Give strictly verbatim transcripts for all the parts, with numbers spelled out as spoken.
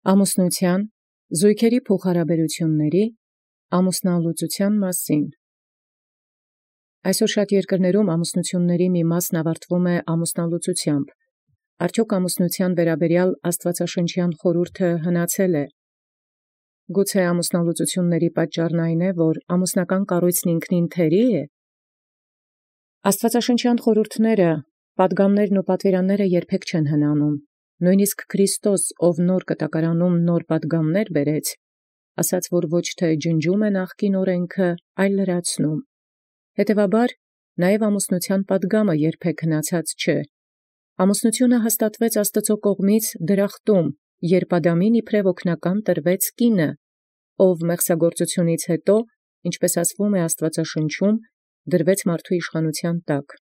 Ամուսնութեան, զոյգերի փոխհարաբերութիւնացն, ամուսնալուծութեան մասին։ Այսօր շատ երկրներում ամուսնութիւնացն մի մասն աւարտվում է ամուսնալուծութեամբ։ Արդյոք ամուսնութեան վերաբերեալ աստուածաշնչյան խորհուրդը հնացել է։ Գուցե ամուսնալուծութիւնացն պատճառն այն է, որ ամուսնական կառույցն ինքնին թերի է։ Աստուածաշնչյան խորհուրդները, պատգամներն ու պատվիրանները երբեք չեն հնանում։ Նոյնիսկ Քրիստոս, ով նոր կտակարանում նոր պատգամներ բերեց, ասաց, որ ոչ թե ջնջում է նախկին օրենքը, այլ լրացնում։ Հետևաբար, նաև ամուսնութեան պատգամը երբեք հնացած չէ։ Ամուսնութիւնը հաստատվեց Աստուծոյ կողմից դրախտում, երբ Ադամին իբրև օգնական տրվեց կինը, ով մեղսագործութիւնից յետո, ինչպէս ասվում է Աստուածաշնչում, դրվեց մարդու իշխանութեան տակ։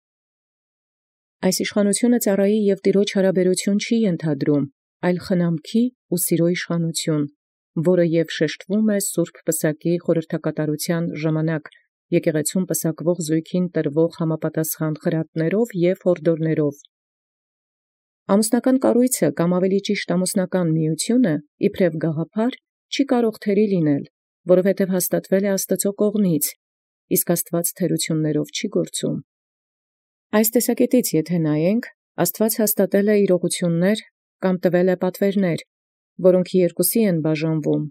Այս իշխանութիւնը ծառայի և տիրոջ հարաբերութիւն չի ենթադրում, այլ խնամքի ու սիրո իշխանութիւն, որը և շեշտվում է սուրբ պսակի խորհրդակատարութեան ժամանակ եկեղեցւոյ պսակվող զոյգին տրվող համապատասխան խրատներով և յորդորներով։ Ամուսնական կառույցը կամ ավելի ճիշտ ամուսնական միութիւնը իբրև գաղափար չի կարող թերի լինել, որովհետև հաստատվել է Աստուծոյ կողմից, իսկ Աստուած թերութիւններով չի գործում։ Այս տեսակետից եթէ նայենք, Աստուած հաստատել է իրողութիւններ կամ տվել է պատվերներ, որոնք երկուսի են բաժանվում.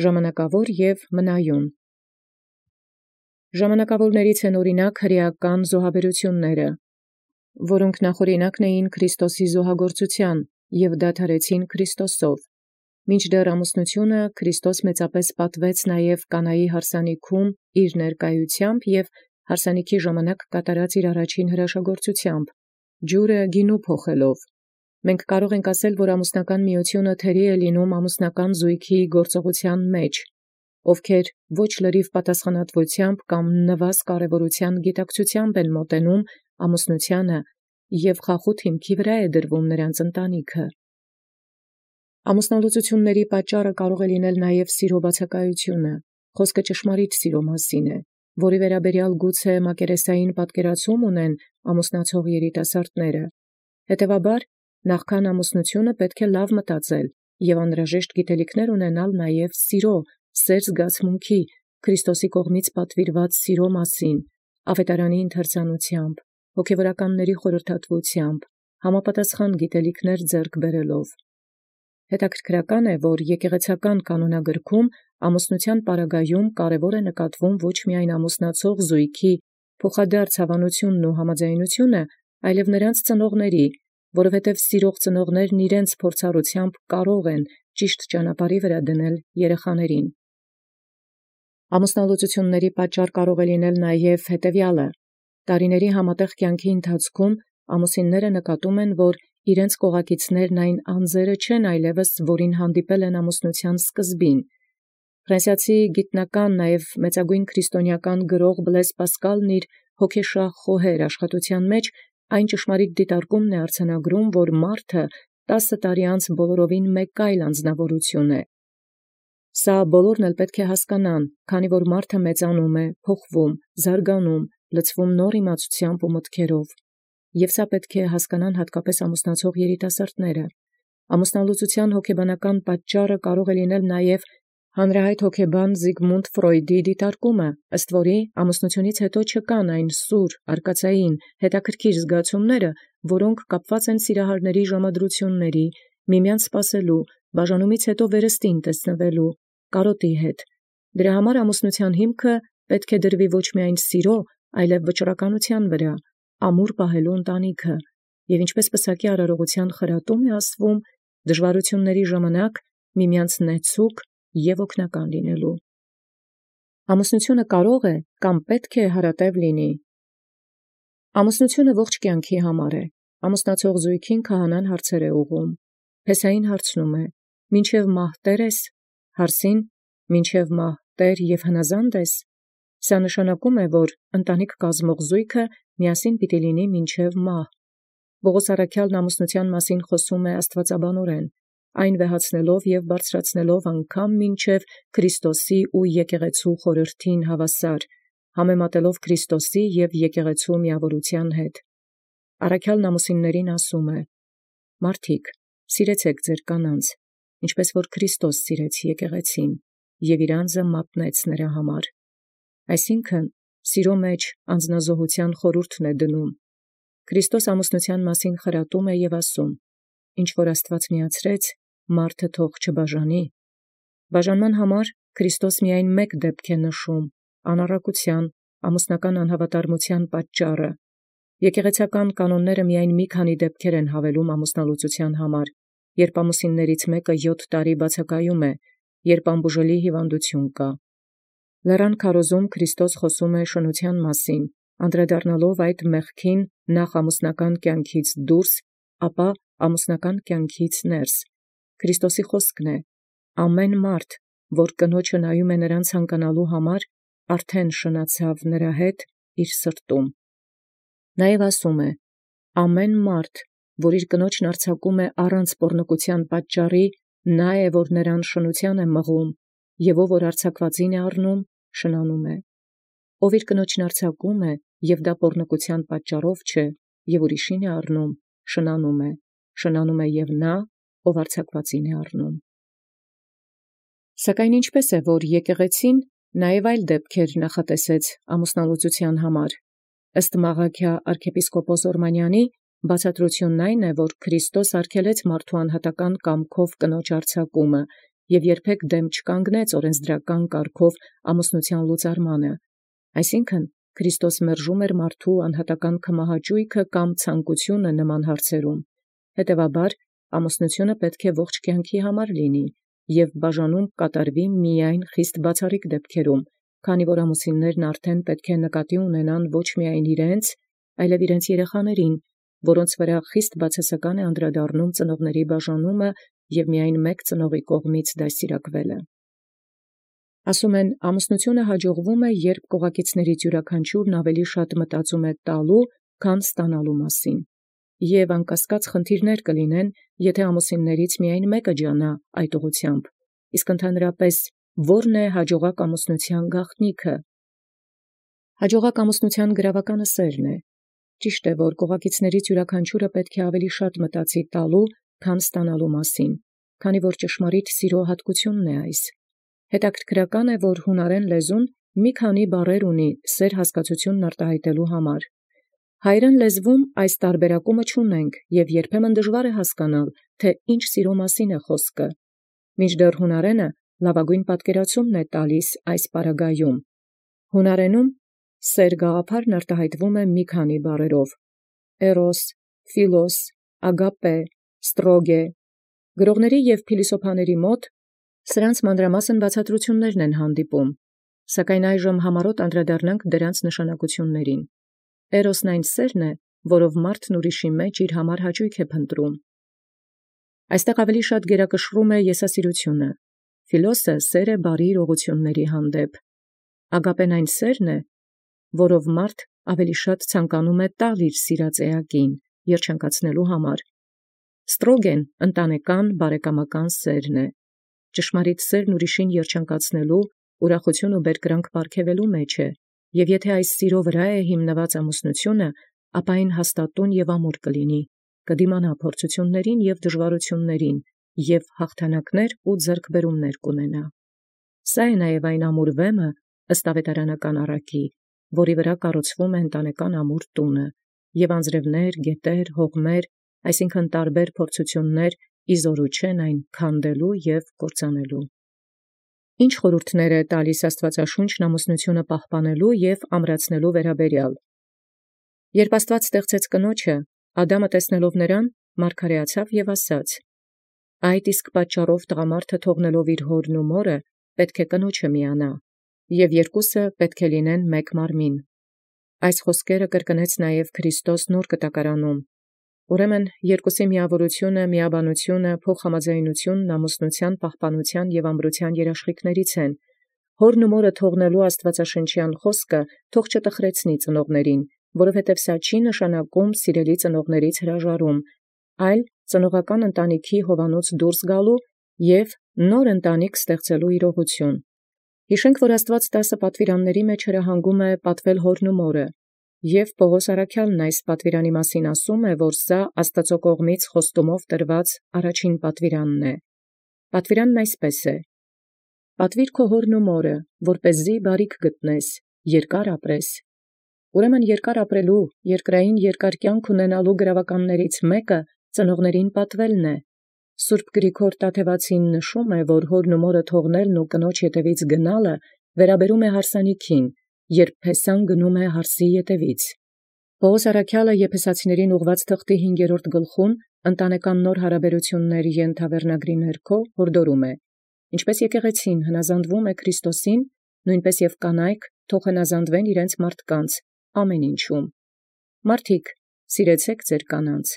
ժամանակաւոր և մնայուն։ Ժամանակաւորացն են օրինակ հրեական զոհաբերութիւնները, որոնք նախօրինակն էին Քրիստոսի զոհագործութեան և դադարեցին Քրիստոսով, մինչդեռ ամուսնութիւնը Քրիստոս մեծապես պատվեց նաև Կանայի յարսանիքում իր ներկայութեամբ և յարսանիքի ժամանակ կատարած իր առաջին հրաշագործութեամբ, ջուրը գինու փոխելով։ Մենք կարող ենք ասել, որ ամուսնական միութիւնը թերի է լինում ամուսնական զոյգի գործողութեան մեջ, ովքեր ոչ լրիվ պատասխանատվությամբ կամ նվազ կարևորութեան գիտակցութեամբ են մոտենում ամուսնութեանը և խախուտ հիմքի վրա է դրվում նրանց ընտանիքը։ Ամուսնալուծութիւնացն պատճառը կարող է լինել նաև սիրո բացակայութիւնը, խոսքը ճշմարիտ սիրո մասին է, որի վերաբերեալ գուցե մակերեսային պատկերացում ունեն ամուսնացող երիտասարդները։ Հետևաբար, նախքան ամուսնութիւնը պետք է լավ մտածել և անհրաժեշտ գիտելիքներ ունենալ նաև սիրո, սեր զգացմունքի, Քրիստոսի կողմից պատվիրված սիրո մասին, աւետարանի ընթերցուածությամբ, հոգևորականների խորհրդատվութեամբ, համապատասխան գիտելիքներ ձեռք բերելով։ Հետաքրքրական է, որ եկեղեցական կանոնագրքում ամուսնութեան պարագայում կարևոր է նկատվում ոչ միայն ամուսնացող զոյգի փոխադարձ հավանութիւնն ու համաձայնութիւնը, այլև նրանց ծնողների, որովհետև սիրող ծնողներն իրենց փորձառութեամբ կարող են ճիշտ ճանապարհի վրա դնել երեխաներին։ Ամուսնալուծութիւնացն պատճառ կարող է լինել նաև հետևեալը. տարիների համատեղ կյանքի ընթացքում ամուսինները նկատում են, որ իրենց կողակիցներն այն անձերը չեն այլևս, որին հանդիպել են ամուսնութեան սկզբին։ Ֆրանսիացի գիտնական, նաև մեծագոյն քրիստոնեական գրող Բլեզ Պասկալն իր հոգեշահ խոհեր աշխատութեան մեջ այն ճշմարիտ դիտարկումն է արձանագրում, որ մարդը տասը տարի անց բոլորովին մեկ այլ անձնավորություն է։ Սա բոլորն էլ պետք է հասկանան, քանի որ մարդը մեծանում է, փոխվում, զարգանում, լցվում նոր իմացութեամբ ու մտքերով։ Եւ սա պետք է հասկանան հատկապես ամուսնացող երիտասարդները։ Ամուսնալուծութեան հոգեբանական պատճառը կարող է լինել նաև հանրահայտ հոգեբան Զիգմունդ Ֆրոյդի դիտարկումը, ըստ որի ամուսնութիւնից յետո չկան այն սուր, արկածային, հետաքրքիր զգացումները, որոնք կապված են սիրահարների ժամադրութիւնների, միմյանց սպասելու, բաժանումից յետո վերստին տեսնվելու, կարոտի հետ։ Դրա համար ամուսնութեան հիմքը պետք է դրվի ոչ միայն սիրո, այլև վճռականութեան վրա, ամուր պահելու ընտանիքը, և ինչպես պսակի արարողութեան խրատում է ասվում, դժվարութիւնների ժամանակ միմյանց նեցուկ և օգնական լինելու։ Ամուսնութիւնը կարող է կամ պետք է հարատև լինի։ Ամուսնութիւնը ողջ կյանքի համար է։ Ամուսնացող զոյգին քահանան հարցեր է ուղղում։ Փեսային հարցնում է. «Մինչև մահ տե՞ր ես»։ Հարցին. «Մինչև մահ տէր և հնազա՞նդ ես»։ Սա նշանակում է, որ ընտանիք կազմող զոյգը միասին պիտի լինի մինչև մահ։ Պողոս առաքյալն ամուսնութեան մասին խոսում է աստուածաբանորեն, այն վեհացնելով և բարձրացնելով անգամ մինչև Քրիստոսի ու եկեղեցու խորհրդին հավասար, համեմատելով Քրիստոսի և եկեղեցու միավորութեան հետ։ Առաքյալն ամուսիններին ասում է. «Մարդիկ, սիրեցէք ձեր կանանց, ինչպես որ Քրիստոս սիրեց եկեղեցին, և իր անձը մատնեց նրա համար։ Այսինքն, սիրո մեջ անձնազոհության խորհուրդն է դնում։ Քրիստոս ամուսնութեան մասին խրատում է և ասում. ինչ որ Աստուած միացրեց, մարդը թող չբաժանի։ Բաժանման համար Քրիստոս միայն մեկ դեպք է նշում՝ անառակության, ամուսնական անհավատարմության պատճառը։ Եկեղեցական կանոնները միայն մի քանի դեպքեր են հավելում ամուսնալուծության համար, երբ ամուսիններից մեկը յոթ տարի բացակայում է, երբ անբուժելի հիվանդություն կա։ Լեռան քարոզում Քրիստոս խոսում է շնության մասին, անդրադառնալով այդ մեղքին նախ ամուսնական կյանքից դուրս, ապա ամուսնական կյանքից ներս։ Քրիստոսի խոսքն է. ամեն մարդ, որ կնոջը նայում է նրան ցանկանալու համար, արդեն շնացավ նրա հետ իր սրտում։ Նաև ասում է. ամեն մարդ, որ իր կնոջն արձակում է առանց պոռնկության պատճառի, նա է, որ նրան շնության է մղում, և ով որ արձակվածին է առնում, շնանում է։ Ով իր կնոջն արձակում է, և դա պոռնկության պատճառով չէ, և ուրիշին է առնում, շնանում է, շնանում է և նա, ով արձակվածին է առնում։ Սակայն ինչպե՞ս է, որ եկեղեցին նաև այլ դեպքեր նախատեսեց ամուսնալուծության համար։ Ըստ Մաղաքիա arczepiskopos Օրմանյանի, բացատրությունն այն է, որ Քրիստոս արգելեց մարդու անհատական կամքով կնոջ արձակումը և երբեք դեմ չկանգնեց օրենսդրական կարգով ամուսնության լուծարմանը։ Այսինքն, Քրիստոս մերժում էր մարդու անհատական քմահաճույքը կամ ցանկությունը նման հարցերում։ Հետևաբար, ամուսնությունը պետք է ողջ կյանքի համար լինի և բաժանում կատարվի միայն խիստ բացառիկ դեպքերում, քանի որ ամուսիններն արդեն պետք է նկատի ունենան ոչ միայն իրենց, այլև իրենց երեխաներին, որոնց վրա խիստ բացասական է անդրադառնում ծնողների բաժանումը և միայն մեկ ծնողի կողմից դաստիարակվելը։ Ասում են, ամուսնությունը հաջողվում է, երբ կողակիցներից յուրաքանչյուրն ավելի շատ մտածում է տալու, քան ստանալու մասին։ Եվ անկասկած խնդիրներ կլինեն, եթե ամուսիններից միայն մեկը ջանա այդ ուղղությամբ, իսկ ընդհանրապես ո՞րն է հաջողակ ամուսնության գաղտնիքը։ Հաջողակ ամուսնության գրավականը սերն է։ Ճիշտ է, որ կողակիցներից յուրաքանչյուրը պետք է ավելի շատ մտածի տալու, քան ստանալու մասին, քանի որ ճշմարիտ սիրո հատկությունն է այս։ Հետաքրքրական է, որ հունարեն լեզուն մի քանի բառեր ունի սեր հասկացությունն արտահայտելու համար։ Հայերեն լեզվում այս տարբերակումը չունենք, և երբեմն դժվար է հասկանալ, թե ինչ սիրո մասին է խոսքը։ Մինչդեռ հունարենը լավագույն պատկերացումն է տալիս այս պարագայում։ Հունարենում սեր գաղափարն արտահայտվում է մի քանի բառերով. էրոս, ֆիլոս, ագապե, ստրոգե։ Գրողների և փիլիսոփաների մոտ սրանց մանրամասն բացատրություններն են հանդիպում, սակայն այժմ համառոտ անդրադառնանք դրանց նշանակություններին։ Էրոսն այն սերն է, որով մարդն ուրիշի մեջ իր համար հաճույք է փնտրում։ Այստեղ ավելի շատ գերակշռում է եսասիրությունը։ Ֆիլոսը սեր է բարի իրողությունների հանդեպ։ Ագապեն այն սերն է, որով մարդ ավելի շատ ցանկանում է տալ իր սիրած էակին, երջանկացնելու համար։ Ստրոգեն ընտանեկան բարեկամական սերն է։ Ճշմարիտ սերն ուրիշին երջանկացնելու, ուրախություն ու բերկրանք պարգևելու մեջ է, և եթե այս սիրո վրա է հիմնված ամուսնությունը, ապա այն հաստատուն և ամուր կլինի, կդիմանա փորձություններին և դժվարություններին, և հաղթանակներ ու ձեռքբերումներ կունենա։ Սա է նաև այն ամուր վեմը, ըստ ավետարանական առակի, որի վրա կառուցվում է ընտանեկան ամուր տունը, և անձրևներ, գետեր, հողմեր, այսինքն տարբեր փորձություններ իզորու չեն այն քանդելու և կործանելու։ Ինչ խորհուրդներ է տալիս Աստվածաշունչն ամուսնությունը պահպանելու և ամրացնելու վերաբերյալ։ Երբ Աստված ստեղծեց կնոջը, Ադամը տեսնելով նրան, մարգարեացավ և ասաց. «Այդ իսկ պատճառով տղամարդը թողնելով իր հորն ու մորը, պետք է կնոջը միանա, և երկուսը պետք է լինեն մեկ մարմին»։ Այս խոսքերը կրկնեց նաև Քրիստոս նոր կտակարանում։ Ուրեմն երկուսի միավորությունը, միաբանությունը, փոխհամաձայնությունն ամուսնության պահպանության և ամրության երաշխիքներից են։ Հորն ու մորը թողնելու աստվածաշնչյան խոսքը թող չտխրեցնի ծնողներին, որովհետև սա չի նշանակում սիրելի ծնողներից հրաժարում, այլ ծնողական ընտանիքի հովանոց դուրս գալու և նոր ընտանիք ստեղծելու իրողություն։ Հիշենք, որ Աստված տասը պատվիրանների մեջ հրահանգում է պատվել հորն ու մորը, և Պողոս առաքյալն այս պատվիրանի մասին ասում է, որ սա Աստծո կողմից խոստումով տրված առաջին պատվիրանն է։ Պատվիրանն այսպես է. «Պատվիր քո հորն ու մորը, որպեսզի բարիք գտնես, երկար ապրես»։ Ուրեմն երկար ապրելու, երկրային երկար կյանք ունենալու գրաւականներից մեկը ծնողացն պատվելն է։ Սուրբ Գրիգոր Տաթևացին նշում է, որ հորն ու մորը թողնելն ու կնոջ ետևից գնալը վերաբերում է հարսանիքին, երբ փեսան գնում է հարսի ետևից։ Պողոս առաքյալը Եփեսացիներին ուղված թղթի հինգերորդ գլխում ընտանեկան նոր հարաբերություններ ենթավերնագրի ներքո հորդորում է. ինչպես եկեղեցին հնազանդվում է Քրիստոսին, նույնպես և կանայք թող հնազանդվեն իրենց մարդկանց ամեն ինչում։ Մարդիկ, սիրեցեք ձեր կանանց,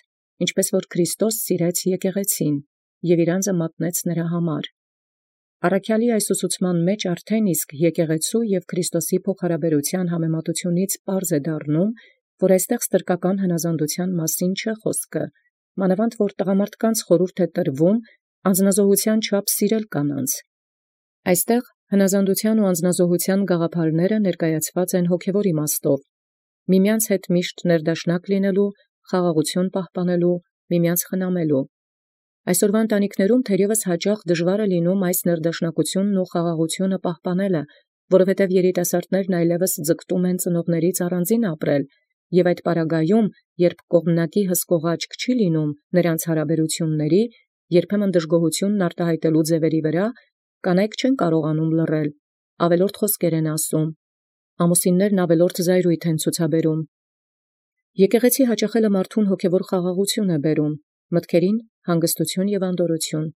ինչպես որ Քրիստոս սիրեց եկեղեցին և իրանձը մատնեց նրա համար։ Առաքյալի այս ուսուցման մեջ արդեն իսկ եկեղեցու և Քրիստոսի փոխհարաբերության համեմատությունից պարզ է դառնում, որ այստեղ ստրկական հնազանդության մասին չէ խոսքը, մանավանդ որ տղամարդկանց խորհուրդ է տրվում անձնազոհության չափ սիրել կանանց։ Այստեղ հնազանդության ու անձնազոհության գաղափարները ներկայացված են հոգևոր իմաստով, միմյանց հետ միշտ ներդաշնակ լինելու, խաղաղություն պահպանելու, միմյանց խնամելու։ Այսօրվա ընտանիքներում թերևս հաճախ դժվար է լինում այս ներդաշնակությունն ու խաղաղությունը պահպանելը, որովհետև երիտասարդներն այլևս ձգտում են ծնողներից առանձին ապրել, և այդ պարագայում, երբ կողմնակի հսկող աչք չի լինում նրանց հարաբերությունների, երբեմն դժգոհությունն արտահայտելու ձևերի վրա, կանայք չեն կարողանում լռել, ավելորդ խոսքեր են ասում, ամուսիններն ավելորդ զայրույթ են ցուցաբերում։ Եկեղեցի հաճախելը մարդուն հոգևոր խաղաղություն է բերում, մտքերին հանգստություն և անդորրություն։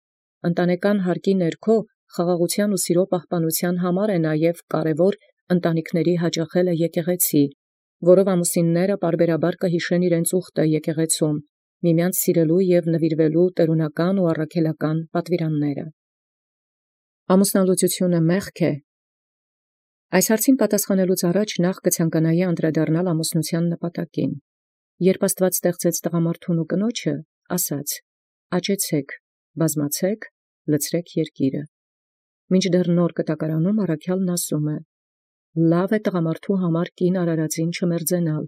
Ընտանեկան հարկի ներքո խաղաղության ու սիրո պահպանության համար է նաև կարևոր ընտանիքների հաճախելը եկեղեցի, որով ամուսինները պարբերաբար կհիշեն իրենց ուխտը եկեղեցում, միմյանց սիրելու և նվիրվելու տերունական ու առաքելական պատվիրանները։ Ամուսնալուծությունը մեղք է։ Այս հարցին պատասխանելուց առաջ նախ կցանկանայի անդրադառնալ ամուսնության նպատակին։ Երբ Աստված ստեղծեց տղամարդուն ու կնոջը, ասաց. «Աճեցեք, բազմացեք, լցրեք երկիրը»։ Մինչդեռ նոր կտակարանում առաքյալն ասում է. «Լավ է տղամարդու համար կին արարածին չմերձենալ,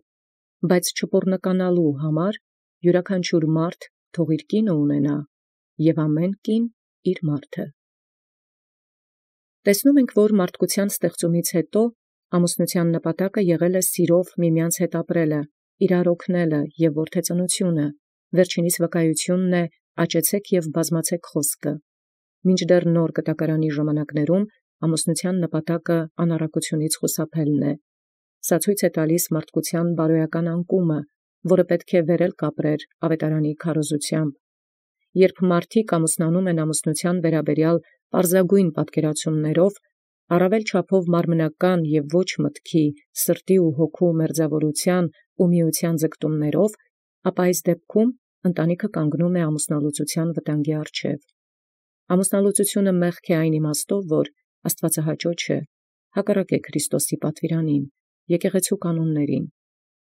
բայց չպոռնկանալու համար յուրաքանչյուր մարդ թող իր կինը ունենա, և ամեն կին իր մարդը»։ Տեսնում ենք, որ մարդկության ստեղծումից հետո ամուսնության նպատակը եղել է սիրով միմյանց հետ ապրելը, իրար օգնելը և որդեծնությունը, վերջինիս վկայությունն է «Աճեցեք և բազմացեք» խոսքը։ Մինչդեռ նոր կտակարանի ժամանակներում ամուսնության նպատակը անառակությունից խուսափելն է։ Սա ցույց է տալիս մարդկության բարոյական անկումը, որը պետք է վերելք ապրեր ավետարանի քարոզությամբ։ Երբ մարդիկ ամուսնանում են ամուսնության վերաբերյալ պարզագույն պատկերացումներով, առավել չափով մարմնական և ոչ մտքի, սրտի ու հոգու մերձավորության ու միության ձգտումներով, ապա այս դեպքում ընտանիքը կանգնում է ամուսնալուծության վտանգի առջև։ Ամուսնալուծությունը մեղք է այն իմաստով, որ աստվածահաճո չէ, հակառակ է Քրիստոսի պատվիրանին, եկեղեցու կանոններին։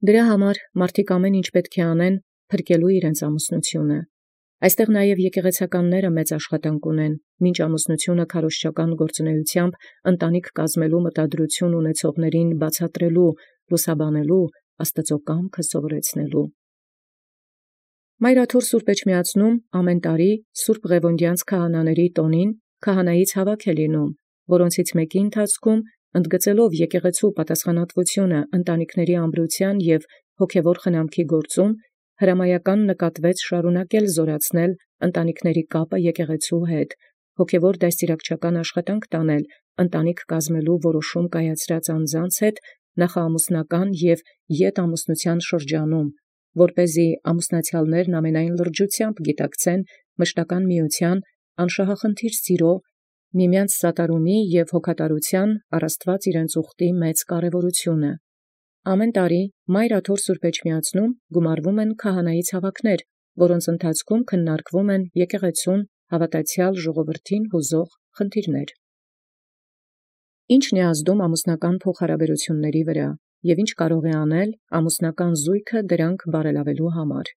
Դրա համար մարդիկ ամեն ինչ պետք է անեն փրկելու իրենց ամուսնությունը։ Այստեղ նաև եկեղեցականները մեծ աշխատանք ունեն, մինչ ամուսնությունը քարոզչական գործունեությամբ ընտանիք կազմելու մտադրություն ունեցողներին բացատրելու, լուսաբանելու, Աստծո կամքը սովորեցնելու։ Մայրաթոր Սուրբ Էջմիածնում ամեն տարի Սուրբ Ղևոնդյանց քահանաների տոնին քահանայից հավաք է լինում, որոնցից մեկի ընթացքում ընդգծելով եկեղեցու պատասխանատվությունը ընտանիքների ամրության և հոգևոր խնամքի գործում, հրամայական նկատվեց շարունակել զորացնել ընտանիքների կապը եկեղեցու հետ, հոգևոր դաստիարակչական աշխատանք տանել ընտանիք կազմելու որոշում կայացրած անձանց հետ նախաամուսնական և ետամուսնության շրջանում, որպեսզի ամուսնացյալներն ամենայն լրջությամբ գիտակցեն մշտական միության անշահախնդիր սիրո, միմյանց սատարումի և հոգատարության առ Աստված իրենց ուխտի մեծ կարևորությունը։ Ամեն տարի Մայր Աթոր Սուրբ Էջմիածնում գումարվում են քահանայից հավաքներ, որոնց ընթացքում քննարկվում են եկեղեցուն հավատացյալ ժողովրդին հուզող խնդիրներ։ Ի՞նչն է ազդում ամուսնական փոխհարաբերությունների վրա և ի՞նչ կարող է անել ամուսնական զույգը դրանք բարելավելու համար։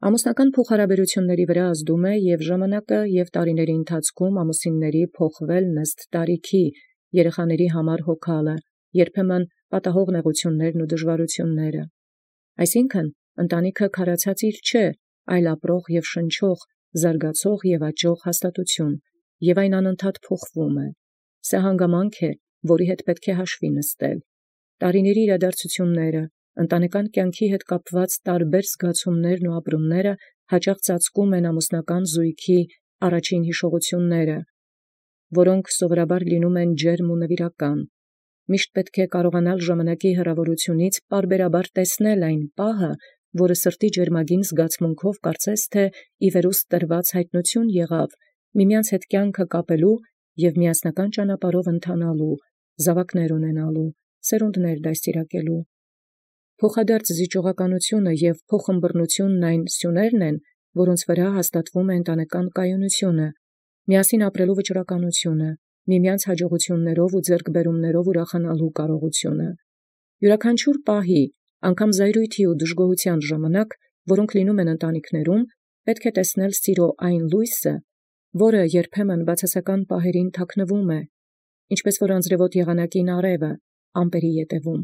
Ամուսնական փոխհարաբերությունների վրա ազդում է և ժամանակը և տարիների ընթացքում ամուսինների փոխվելն ըստ տարիքի, երեխաների համար հոգալը, երբեմն պատահող նեղություններն ու դժվարությունները։ Այսինքն, ընտանիքը քարացածիր չէ, այլ ապրող և շնչող, զարգացող և աճող հաստատություն, և այն անընդհատ փոխվում է։ Սա հանգամանք է, որի հետ պետք է հաշվի նստել։ Տարիների իրադարձությունները, ընտանեկան կյանքի հետ կապված տարբեր զգացումներն ու ապրումները հաճախ ծածկում են ամուսնական զույգի առաջին հիշողությունները, որոնք սովորաբար լինում են ջերմ ու նվիրական։ Միշտ պետք է կարողանալ ժամանակի հեռավորությունից պարբերաբար տեսնել այն պահը, որը սրտի ջերմագին զգացմունքով կարծես թե ի վերուստ տրված հայտնություն եղավ, միմյանց հետ կյանքը կապելու և միասնական ճանապարհով ընթանալու, զավակներ ունենալու, սերունդներ դաստիարակելու։ Փոխադարձ զիջողականությունը և փոխըմբռնությունն այն սյուներն են, որոնց վրա հաստատվում է ընտանեկան կայունությունը, միասին ապրելու վճռականությունը, միմյանց հաջողություններով ու ձեռքբերումներով ուրախանալու կարողությունը։ Յուրաքանչյուր պահի, անգամ զայրույթի ու դժգոհության ժամանակ, որոնք լինում են ընտանիքներում, պետք է տեսնել սիրո այն լույսը, որը երբեմն բացասական պահերին թաքնվում է, ինչպես որ անձրևոտ եղանակին արևը ամպերի ետևում։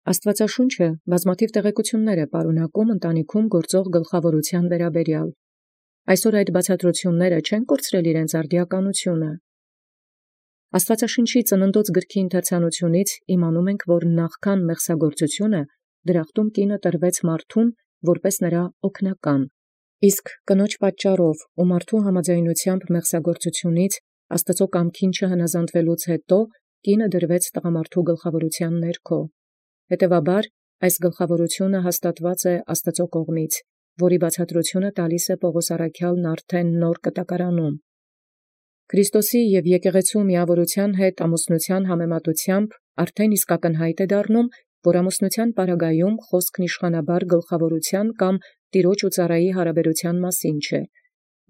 Աստվածաշունչը բազմաթիվ տեղեկություններ է պարունակում ընտանիքում գործող գլխավորության վերաբերյալ։ Այսօր այդ բացատրությունները չեն կորցրել իրենց արդիականությունը։ Աստվածաշնչի ծննդոց գրքի ընթերցանությունից իմանում ենք, որ նախքան մեղսագործությունը դրախտում կինը տրվեց մարդուն որպես նրա օգնական, իսկ կնոջ պատճառով ու մարդու համաձայնությամբ մեղսագործությունից Աստծո կամքին չհնազանդվելուց հետո կինը դրվեց տղամարդու գլխավորության ներքո։ Հետևաբար այս գլխավորությունը հաստատված է Աստծո կողմից, որի բացատրությունը տալիս է Պողոս առաքյալն արդեն նոր կտակարանում։ Քրիստոսի և եկեղեցու միավորության հետ ամուսնության համեմատությամբ արդեն իսկ ակնհայտ է դառնում, որ ամուսնության պարագայում խոսքն իշխանաբար գլխավորության կամ տիրոջ ու ծառայի հարաբերության մասին չէ։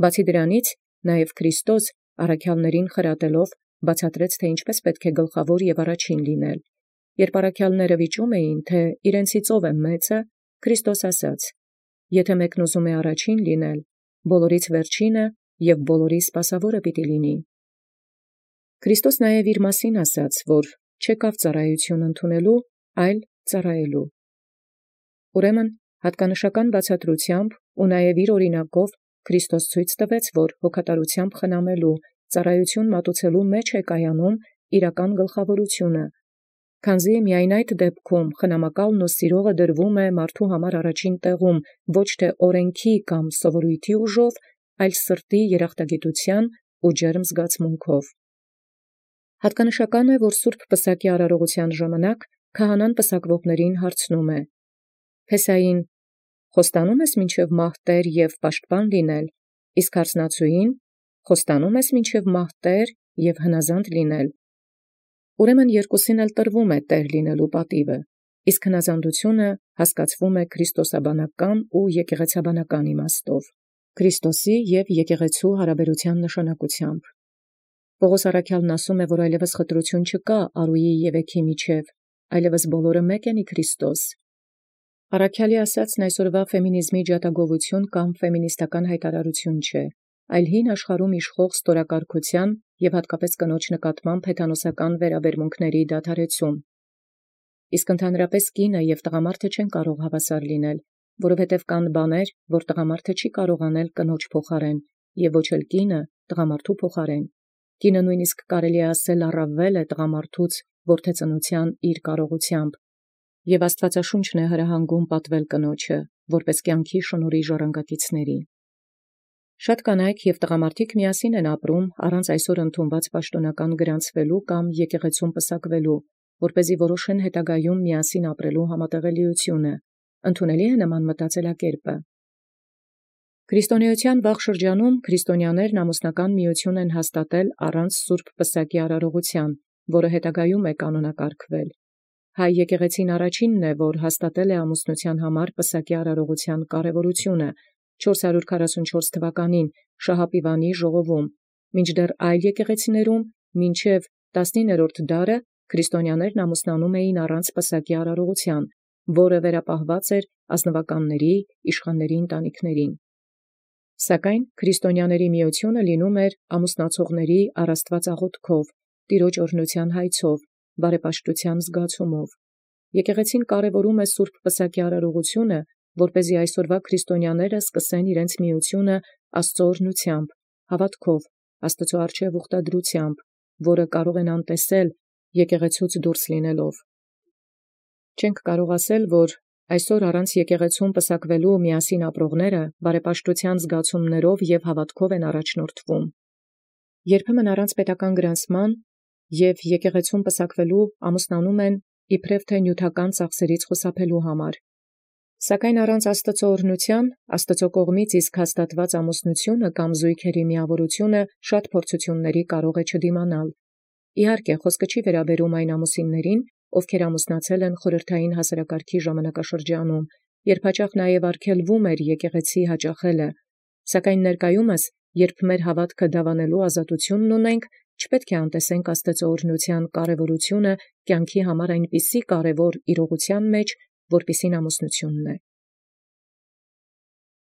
Բացի դրանից, նաև Քրիստոս առաքյալներին խրատելով բացատրեց, թե ինչպես պետք է գլխավոր և առաջին լինել։ Երբ առաքյալները վիճում էին, թե իրենցից ով է մեծը, Քրիստոս ասաց. «Եթե մեկն ուզում է առաջին լինել, բոլորից վերջինը և բոլորի սպասավորը պիտի լինի»։ Քրիստոս նաև իր մասին ասաց, որ չեկավ ծառայություն ընդունելու, այլ ծառայելու։ Ուրեմն հատկանշական բացատրությամբ ու նաև իր օրինակով Քրիստոս ցույց տվեց, որ հոգատարությամբ խնամելու, ծառայություն մատուցելու մեջ է կայանում իրական գլխավորությունը, քանզի միայն այդ դեպքում խնամակալն ու սիրողը դրվում է մարդու համար առաջին տեղում ոչ թե օրենքի կամ սովորույթի ուժով, այլ սրտի երախտագիտության ու ջերմ զգացմունքով։ Հատկանշական է, որ Սուրբ Պսակի արարողության ժամանակ քահանան պսակվողներին հարցնում է. «Փեսային խոստանո՞ւմ ես մինչև մահտեր և պաշտպան լինել, իսկ հարցնացուին խոստանո՞ւմ ես մինչև մահտեր և հնազանդ լինել»։ Ուրեմն երկուսին էլ տրվում է տեր լինելու պատիվը, իսկ հնազանդությունը հասկացվում է քրիստոսաբանական ու եկեղեցաբանական իմաստով, Քրիստոսի և եկեղեցու հարաբերության նշանակությամբ։ Պողոս առաքյալն ասում է, որ այլևս խտրություն չկա արուի և էգի միջև, այլևս բոլորը մեկ են ի Քրիստոս։ Առաքյալի ասածն այսօրվա ֆեմինիզմի ջատագովություն կամ ֆեմինիստական հայտարարություն չէ, այլ հին աշխարհում իշխող ստորակարգության և հատկապես կնոջ նկատմամբ հեթանոսական վերաբերմունքների դադարեցում։ Իսկ ընդհանրապես կինը և տղամարդը չեն կարող հավասար լինել, որովհետև կան բաներ, որ տղամարդը չի կարող անել կնոջ փոխարեն, և ոչ էլ կինը տղամարդու փոխարեն։ Կինը նույնիսկ կարելի է ասել առավել է տղամարդուց որդեծնության իր կարողությամբ, և Աստվածաշունչն է հրահանգում պատվել կնոջը, որպես կյանքի շնորհի ժառանգակիցների։ Շատ կանայք և տղամարդիկ միասին են ապրում առանց այսօր ընդունված պաշտոնական գրանցվելու կամ եկեղեցում պսակվելու, որպեսզի որոշեն հետագայում միասին ապրելու համատեղելիությունը։ Ընդունելի է նման մտածելակերպը։ Քրիստոնեության վաղ շրջանում քրիստոնյաներն ամուսնական միություն են հաստատել առանց Սուրբ Պսակի արարողության, որը հետագայում է կանոնակարգվել։ Հայ եկեղեցին առաջինն է, որ հաստատել է ամուսնության համար պսակի արարողության կարևորությունը չորս հարյուր քառասունչորս թվականին Շահապիվանի ժողովում, մինչդեռ այլ եկեղեցիներում մինչև տասնիններորդ դարը քրիստոնյաներն ամուսնանում էին առանց պսակի արարողության, որը վերապահված էր ազնվականների, իշխանների ընտանիքներին։ Սակայն քրիստոնյաների միությունը լինում էր ամուսնացողների առաստված աղոթքով, տիրոջ օրհնության հայցով, բարեպաշտության զգացումով։ Եկեղեցին կարևորում է Սուրբ Պսակի արարողությունը, որպեսզի այսօրվա քրիստոնյաները սկսեն իրենց միությունը Աստուծոյ օրհնութեամբ, հաւատովք, Աստուծոյ առջև ուխտադրութեամբ, որը կարող են տեսիլ եկեղեցւոց դուրս լինելով։ Չենք կարող ասել, որ այսօր առանց եկեղեցւոյն պսակվելու միասին ապրողները բարեպաշտութեան զգացումներով եւ հաւատովք են առաջնորդվում։ Երբեմն առանց պետական գրանցման եւ եկեղեցւոյն պսակվելու ամուսնանում են իբրև թե նիւթական ծախսերից խուսափելու համար։ Սակայն առանց Աստուծոյ օրհնութեան, Աստուծոյ կողմից իսկ հաստատուած ամուսնութիւնը կամ զոյգերի միավորութիւնը շատ փորձութիւնների կարող է չդիմանալ։ Իհարկե, խոսքը չի վերաբերում այն ամուսիններին, ովքեր ամուսնացել են խորհրդային հասարակարգի ժամանակաշրջանում, երբ հաճախ նաև արգելվում էր եկեղեցի հաճախելը, սակայն ներկայումս, երբ մեր հաւատքը դաւանելու ազատութիւնն ունենք, չպետք է անտեսենք Աստուծոյ օրհնութեան կարևորութիւնը կյանքի համար այնպիսի կարևոր իրողութեան մեջ, որպիսին ամուսնութիւնն է։